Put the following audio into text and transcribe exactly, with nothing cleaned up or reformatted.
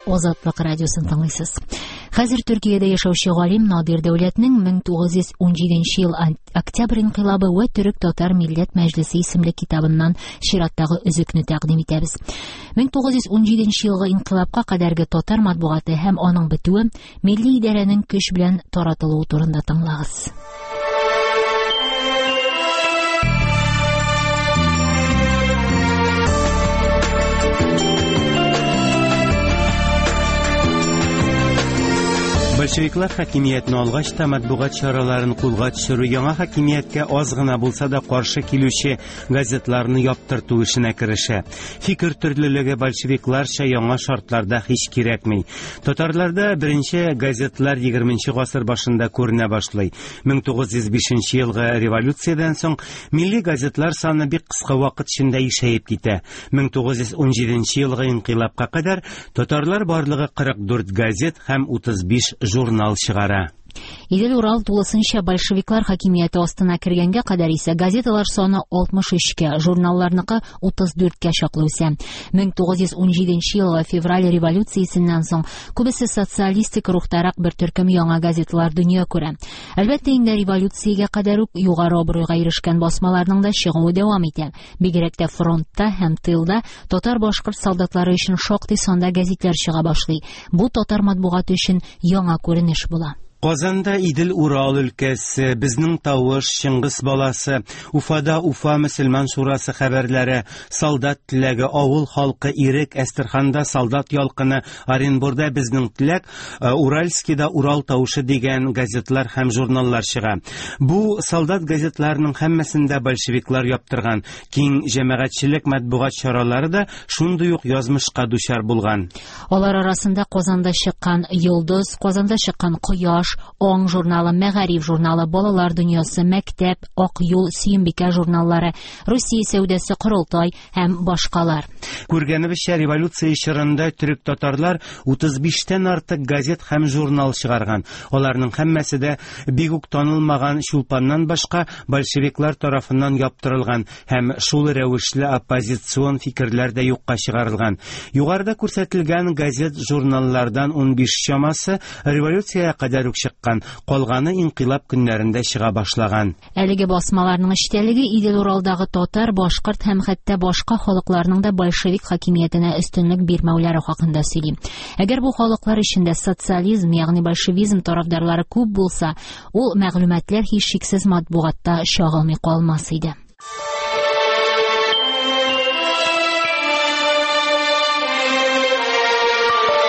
Азатлык радиосын тыңлыйсыз. Хәзер Төркиядә яшәүче галим Надир Дәүләтнең мең тугыз йөз унҗиденче ел Октябрь инкыйлабы вә Төрек-татар милләт мәҗлесе исемле китабыннан чираттагы өзекне тәкъдим итәбез. мең тугыз йөз унҗиденче елгы инкыйлабка кадәрге татар матбугаты һәм аның бетүе милли идарәнең көч белән таратылуы турында тыңлагыз. Большевиклар хакимиятне алгач та матбугат чараларын кулга төшерү, яңа хакимияткә аз гына булса да каршы килүче газетларны яптырту эшенә керешә. Фикер төрлелеге большевикларча яңа шартларда һич кирәкми. Татарларда беренче газетлар егерменче гасыр башында күренә башлый. мең тугыз йөз бишенче елгы революциядән соң милли газетлар саны бик кыска вакыт эчендә ишәеп китә. мең тугыз йөз унҗиденче елгы инкыйлабка кадәр татарлар барлыгы кырык дүрт газет һәм утыз биш журнал чыгара. Идел-Урал тулысынча большевиклар хакимияте астына кергәнгә кадәр исә газеталар саны алтмыш өчкә, журналларныкы утыз дүрткә чаклы үсә. мең тугыз йөз унҗиденче елгы февраль революциясеннән соң күбесе социалистик рухтарак бер төркем яңа газеталар дөнья күрә. Әлбәттә, инде революциягә кадәр үк югары абруйга ирешкән басмаларның да чыгуы дәвам итә. Бигрәк тә фронтта һәм тылда татар-башкорт солдатлары өчен шактый санда газетлар чыга башлый. Бу татар матбугаты өчен яңа күренеш була. Казанда Идел-Урал өлкәсе, Безнең тавыш, Чыңгыз баласы, Уфада Уфа мөселман шурасы хәбәрләре, Солдат теләге, Авыл халкы, Ирек, Әстерханда Солдат ялкыны, Оренбурда Безнең теләк, Уральскида Урал тавышы дигән газетлар һәм журналлар чыга. Бу солдат газетларының һәммәсен дә большевиклар яптырган. Киң җәмәгатьчелек матбугат чаралары да шундый ук язмышка дучар булган. Алар арасында Казанда чыккан Йолдыз, Казанда чыккан Кояш, Аң журналы, Мәгариф журналы, Балалар дөньясы, Мәктәп, Ак юл, Сөембикә журналлары, Русия сәүдәсе, Корылтай һәм башкалар. Күргәнебезчә, революция чорында төрек-татарлар утыз биштән артык газет һәм журнал чыгарган. Аларның һәммәсе дә бик үк танылмаган Чулпаннан башка большевиклар тарафыннан яптырылган һәм шул рәвешле оппозицион фикерләр дә юкка чыгарылган. Югарыда күрсәтелгән газет-журналлардан унбиш чамасы революциягә кадәр үк чыккан, калганы инкыйлаб көннәрендә чыга башлаган. Әлеге басмаларның эчтәлеге Идел-Уралдагы татар, башкорт һәм хәтта башка халыкларның да большевик хакимиятенә өстенлек бирмәүләре хакында сөйли. Әгәр бу халыклар эчендә социализм, ягъни большевизм тарафдарлары күп булса, ул мәгълүматлар һичшиксез матбугатта чагылмый калмас иде.